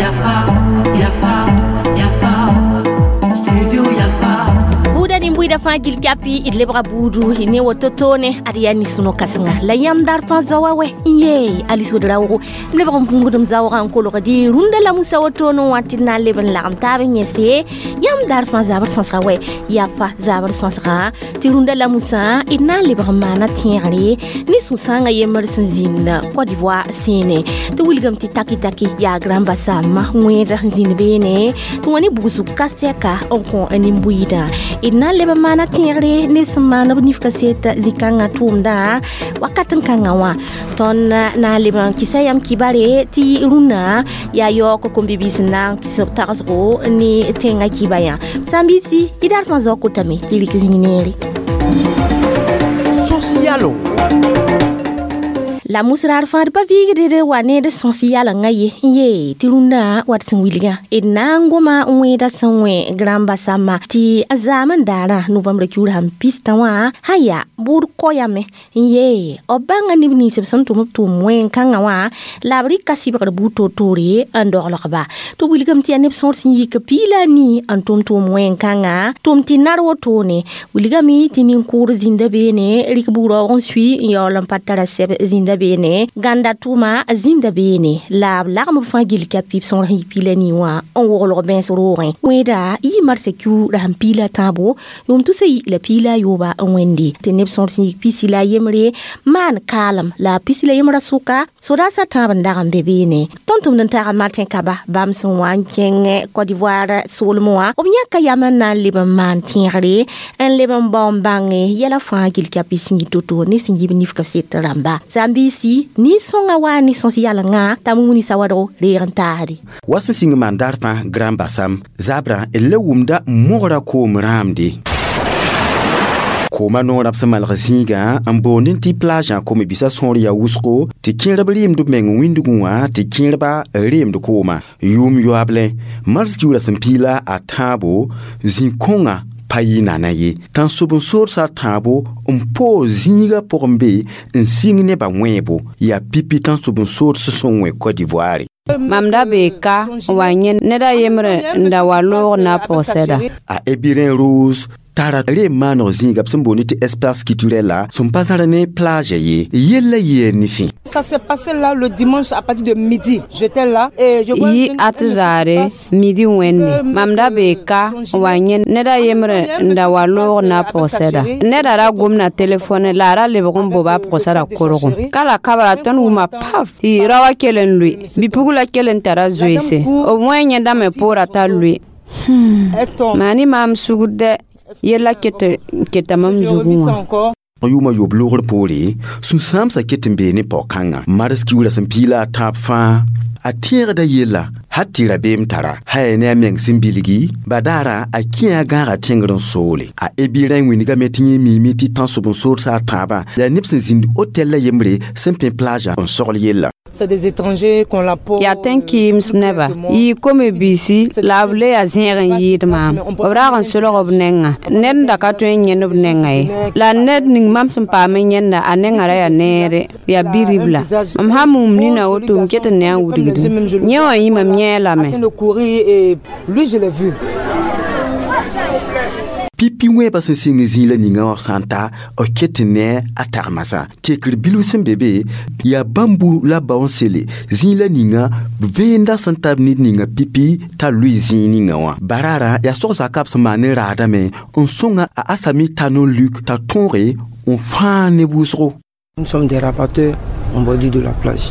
Yafa, Yafa, Yafa, Studio Yafa. Buda ni mbuida fãa gil kapi d lebga buudu ne woto toone ad yaa nis-no kãsenga la yãmb daar fãa zaoa wɛ n yee Alice Ouedraogo m lebg n bũngdem zaoogã n kolgdi rũndã la musa wotone wã tɩ d na n leb n lagem taab n yẽse yãmb daar fãa zabr sõsga wɛ yaa fa zabr sõsga tɩ rũndã la musã d na n lebg n maana tẽegre ne sũ-sãangã yembr sẽn zĩnd Côte d'Ivoire sẽene tɩ wilgame tɩ taki-taki yaa Grand Bassam wẽed sẽn zĩnd beene tɩ wã ne bugsg kastɛka n kõ nin-buiidã d na n leb n maana tẽegre neb sẽn maan b nif kaset zĩ-kãngã tʋʋmdã wakat n kãngã wã tõnd na n leb n kɩsa yam kibare tɩ rũnnã yaa yaoog kom-bibiis n na n kɩs b tagsgo ne tẽngã kiba yã sãn-biisi y daar fãa zaoog kotame tɩ rɩk zĩig neere. Sosialo. La musrar fãa d pa viigd d wa ne d sõs yalengã ye n yee tɩ rũndã wat sẽn wilgã d na n goma n wẽeda sẽn wẽ Grand Bassam tɩ a zaam n daarã novembre kiuur sãn pistã wã sã yaa bʋʋd koyame n yee b bãnga neb nins b sẽn tʋm b tʋʋm wẽn-kãngã wã la b rɩka sɩbgr buud toor-toore n doglgba tɩ wilgame tɩ yaa neb sõor sẽn yik piila nii n tʋm tʋʋm wẽn-kãngã tʋm tɩ nar wotone wilgame tɩ nin-kʋʋd zĩnda beene rɩk bug-raoog n sui n yaool n pa tara sɛb zĩnda beene ganda tʋʋma zĩnda beene la b lagm b fãa gil ka pib sõor sẽn yik piila nii wã n woglg bɛ̃s roogẽ wẽeda yɩ marsã kiuur sẽn piila tãabo yʋʋm tʋsa yi la piila a yooba n wẽnde tɩ neb sõor sẽn yik pisi la a yembre maan kaalem la a pisi la yembrã sʋka sodaasã tãab n dag n be beene tõnd tʋmd n taga Martin Kaba bãmb sẽn wa n kẽng Côte d'Ivoire soolmẽ wã b yãka yam n na n leb n maan tẽegre n leb n bao n bãnge yɛla fãa gil ka pis sẽn yi to-to ne sẽn yib nif kaset rãmba sãn-biisi nin-sõngã wa ne sõs yalengã t'a mumuni sawadgo reeg n taasde. Wa sẽn sĩng maan daar fãa Grand Bassam zabrã d le wʋmda mogra koom rãamde. Kooma noorã b sẽn malg zĩigã n boond tɩ plage kom-biisã sõor yaa wʋsgo tɩ kẽerb reemd b meng wĩndgẽ wã tɩ kẽerba reemd kooma yʋʋm yoable mars kiuurã sẽn piila a tãabo zĩ-kõngã pa yɩ nana ye tãnsob n soodsã tãabo n poog zĩigã pʋgẽ be n sɩng nebã wẽebo yaa pipi tãnsob n sood sẽn wẽ Côte d'Ivoire. Mam da bee ka n wa yẽ ned a yembre n da wa loog na pʋgsɛda. A Ebirin Rose tara reem maaneg zĩiga b sẽn boond tɩ espace culturel la sẽn pa zãr ne plage ye yella yee nifẽ. Ça s'est passé là le dimanche à partir de midi. J'étais là et je vois Yi at raare midi wẽnde mam da bee ka n wa yẽ ned a yembre n da wa loog na pʋgsɛda neda ra gomna telefone la a ra lebg n boba pʋgsɛda korgo ka la kabra tõnd wʋma paf tɩ raoã kell n lʋɩ bi-pugla kell n tara zoeese b wẽ yẽndame poorã t'a lʋɩ. Maa ne maam sugr dɛ yella keta mam zugẽ wã. Yʋʋmã yoob loogr poore sũ-sãamsã ket n bee ne pao-kãngã mars kiuurã sẽn piila a tãab fãa a tẽegda yella hal tɩ rabeem tara sã yaa ne a meng sẽn bilgi badaarã a kẽ a gãaga tẽngr n soole a Ebirẽ wĩnigame tɩ yẽ miime tɩ tãnsob n soodsã a tãabã la neb sẽn zĩnd hotel la yembre sẽn pẽ plage n sogl yella. C'est des étrangers qu'on la peau. Yaa tẽn-kɩɩms neba yɩ kom-biisi la b le yaa zẽeg n yɩɩd maam b raag n solg b nengã ned n da ka tõe n yẽnd b nengã ye la ned ning mam sẽn paam n yẽnda a nengã ra yaa neere yaa bi-ribla mam sã n mum nina woto m ket n ne a wilgdẽ yẽ wã yĩ mam yẽ lame. En train de courir et lui je l'ai vu. Pipi wẽebã sẽn sɩng zĩig la ninga wã sã n ta b ket n ne a tagmasã tekr bilf sẽn be be yaa bãmbu la bao n sele zĩig la ninga vẽenda sẽn tar ned ninga pipi t'a lʋɩ zĩig ninga wã baraarã yaa sogsa kab sẽn maan ne raadame n sõnga a Asami Tano Luk t'a tõoge n fãa neb wʋsgo. Nous sommes des rapatteurs en bordure de la plage.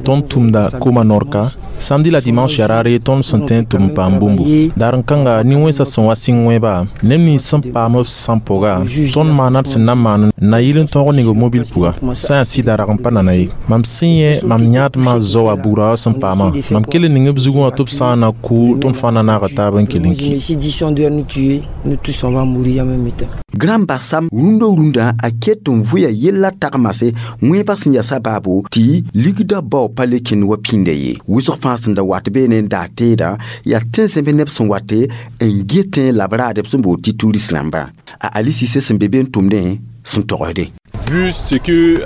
Tõnd tʋmda kooma norka samedi la dimanche yaa raare tõnd sẽn tõe n tʋm n paam bũmbu daar n kãnga nin-wẽnsã sẽn wa sɩng wẽeba neb nins sẽn paam b sãn pʋga tõnd maana d sẽn na n maan na yɩl n tõog ning b mobil pʋga sã n yaa sɩda rag n pa nana ye mam sẽn yẽ mam yãadmã zao a bugra wã sẽn paamã mam kell n ning b zugẽ wã tɩ b sã n na kʋ tõnd fãa na naaga taab n kell n ki. Si d'ici on doit nous tuer, nous tous on va mourir en même temps. Grand Bassam rũndã rũndã a ket n vʋya yella tagmase wẽebã sẽn yaa sabaabo tɩ ligdã bao pa le kẽnd wa pĩnda ye wʋsg fãa sẽn da wat beene n daa teedã yaa tẽn-zẽmb neb sẽn wate n getẽ la b raadb sẽn bood tɩ turist rãmbã a Ali Cissé sẽn be be n tʋmdẽ sẽn togsde. Vu ce que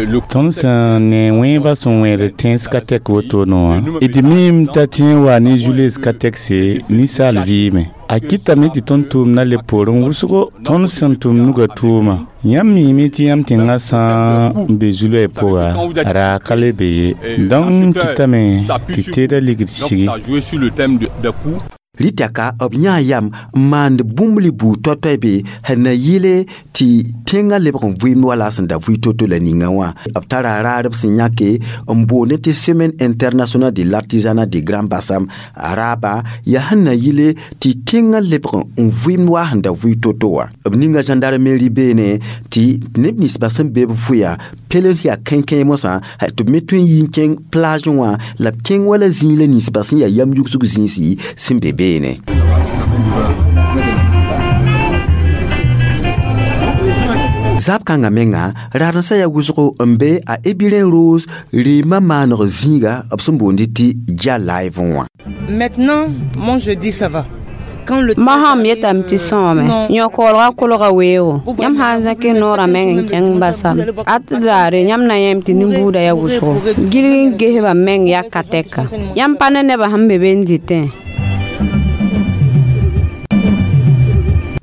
le Tõnd sẽn ne wẽebã sẽn wẽed tẽns ka tɛk wotone wã, d miime t'a tẽ n wa ne Jules ka tɛkse ninsaal vɩɩme. A kɩtame tɩ tõnd tʋʋmdã le poorẽ wʋsgo tõnd sẽn tʋm nugã tʋʋma. Yãmb miime tɩ yãmb tẽngã sã n be zu-loɛɛ pʋga, a raa ka le be ye. Donc kɩtame tɩ teedã ligd sigi. Ça a joué sur le thème des coûts. Rɩtaka b yãa yam n maand bũmb buud toay-toay be sẽn na yɩle tɩ tẽngã lebg n vɩɩmd wala sẽn da vʋɩ to-to la ninga wã. B tara raarb sẽn yãke n boond tɩ Semaine internationale de l'artisanat de Grand Bassam. A raabã yaa sẽn na yɩle tɩ tẽngã lebg n vɩɩmd wa sẽn da vʋɩ to-to wã. B ninga gendarmerie beene tɩ neb ninsbã sẽn be b vʋya pelen yaa kẽnkẽ mosã tɩ b me tõe n yi n kẽng plage wã la b kẽng wala zĩig la ninsbã sẽn yaa yam yugsg zĩisi sẽn be beene. Zab kãngã menga raadensã yaa wʋsgo n be a Ebiren Rose rɩɩmã maaneg zĩiga b sẽn boond tɩ Dia Live wã. Maintenant, mon jeudi, ça va. Quand le Masam yetame tɩ sõome yõ-koolgã kolga weoogo yãmb sã n zãk y noorã meng n kẽng basam at zaare yãmb na yẽem tɩ nin-buudã yaa wʋsgo gilg n gesbã meng yaa ka tɛka yãmb pa ne nebã sẽn be be n dɩtẽ.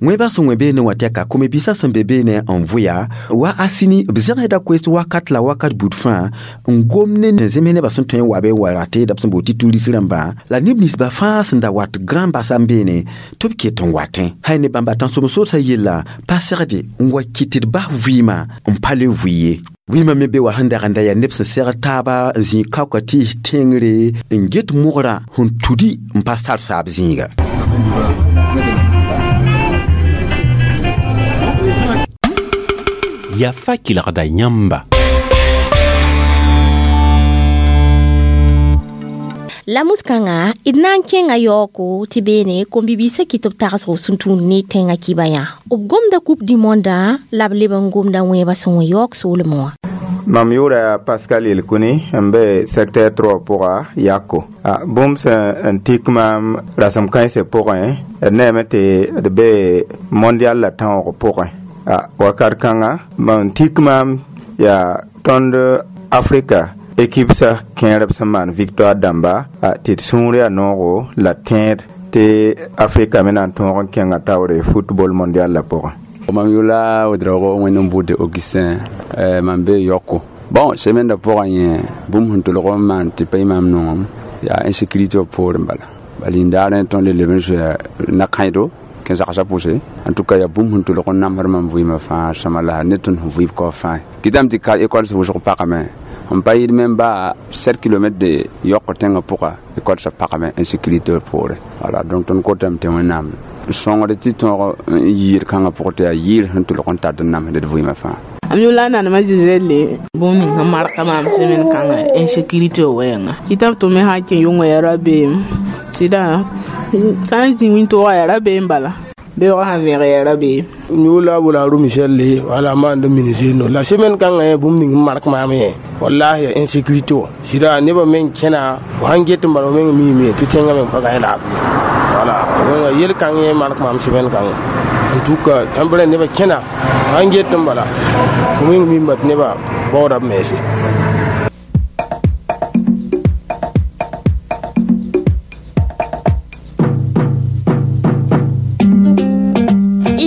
Wẽebã sẽn wẽ beene wã tɛka kom-biisã sẽn be beene n vʋya wa a sini b zẽgsda koees wakat la wakat bud fãa n gom ne zems nebã sẽn tõe n wa be n wa ratɩɩda b sẽn bood tɩ turis rãmbã la neb ninsbã fãa sẽn da wat Grand Bassam beene tɩ b ket n watẽ. Hay ne bãmba tãnsoem-sodsã yella pa segde n wa kɩt tɩ d bas vɩɩmã n pa le vʋɩ ye. Vɩɩmã me be wa sẽn dag n da yaa neb sẽn segd taaba n zĩig kaoka tɩɩs tẽngre n get mogrã sẽn tudi n pa tar saab zĩiga. Yafa kelgda yãmba. La mus-kãngã d na n kẽnga yaooko tɩ beene kom-bibiisã kɩt b tagsgo sẽn tũud ne tẽngã kɩba yã. B gomda Coupe du monde la b leb n gomda wẽebã sẽn wẽ yaoog soolmẽ wã. Mam yʋʋra yaa Pascal Yelkuni n be secteur 3 pʋga Yako. Bũmb sẽn n tik maam rasem kãensã pʋgẽ, d neeme tɩ d be mondial la tãoog pʋgẽ. Wakat kãnga n tik maam yaa tõnd Afrika équipe sã kẽerb sẽn maan victoire dãmba tɩ d sũur yaa noogo la tẽed tɩ Afrika me na n tõog n kẽnga taoore football mondial la pʋgẽ. Mam yʋla Ouedraogo wẽnd n buud Augustin, mam be Yoko. Bon, semaine da pʋgã yẽ bũmb sẽn tʋlg n maan tɩ pa yɩ maam nongem yaa insécurité wã poorẽ bala. Bala yĩndaarẽ tõnd le leb n soa na-kãido kẽn-sagsã pʋse. En tout cas yaa bũmb sẽn tʋlg n namsd mam vɩɩmã fãa sõma la ne tõnd sẽn vɩɩb kao fãa. Kɩtame tɩ ka école sã wʋsg pagame n pa yɩɩd me ba 7 km de Yoko tẽngã pʋga école sã pagame insécurité poorẽ. Voilà, donc tõnd kotame tɩ Wẽnnaam sõngd tɩ tõog n yɩɩd kãngã pʋgẽ tɩ yaa yɩɩr sẽn tʋlg n tat n namsd d vɩɩmã fãa. Am yʋla nanema Gisele bũmb ning sẽn marka maam semaine kãngã insécurité wɛɛnga kɩtame tɩ me sã n kẽ yʋngã yaa rabeem sɩda sã n zĩ wĩntoogã yaa rabeem bala beoogã sã vẽeg yaa rabeem. Yʋla bola Aro Michel le wala maand ministre no la semaine kãngã yẽ bũmb ning n mark maam yẽ wallahi ya insécurité wã sɩda nebã meng kẽna fo sãn get n bala fo meng miime tɩ tẽngã meng pa gãe laafɩ. Voilà, yel kãng yẽ mark maam semaine kãngã. En tout cas yãmb rẽ nebã kẽna fo sãn get n bala fo meng mimba tɩ nebã baooda b mense.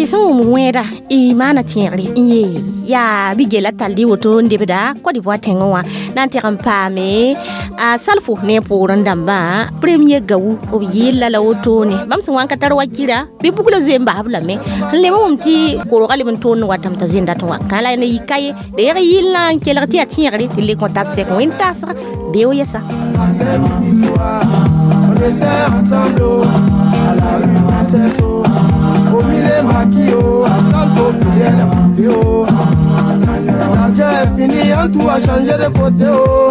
Sẽn wʋm wẽeda y maana tẽegre n yee yaa bɩ gella tall y woto n debda Côte d'Ivoire tẽngẽ wã na n teg n paame a salfo ne poorẽ dãmbã premier gawu b yɩlla la wotone bãmb sẽn wa n ka tar wakira bɩ bugla zoe n basb lame sẽn lem wʋm tɩ korgã leb n toond n watame t'a zoe n dat n wa kã la ne yika ye d yeg yɩllã n kelg tɩ yaa tẽegre tɩ le kõ tab sɛk wẽn tasg beo yɛsa. L'argent est fini, en tout a changé de côté oh.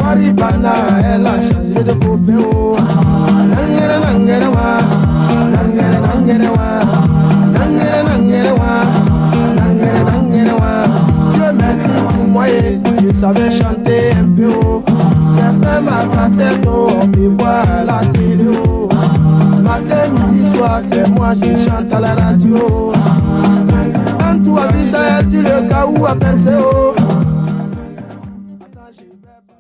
Maribana, elle a changé de côté oh. Nangere nangere wa, nangere nangere wa, nangere nangere wa, nangere nangere wa. Dieu merci pour moi, je savais chanter un peu oh. J'ai fait ma cassette oh, on peut voir à la télé oh. Matin, midi, soir, c'est moi, je chante à la radio. Tout a vu ça, elle dit le cas où a percé, oh.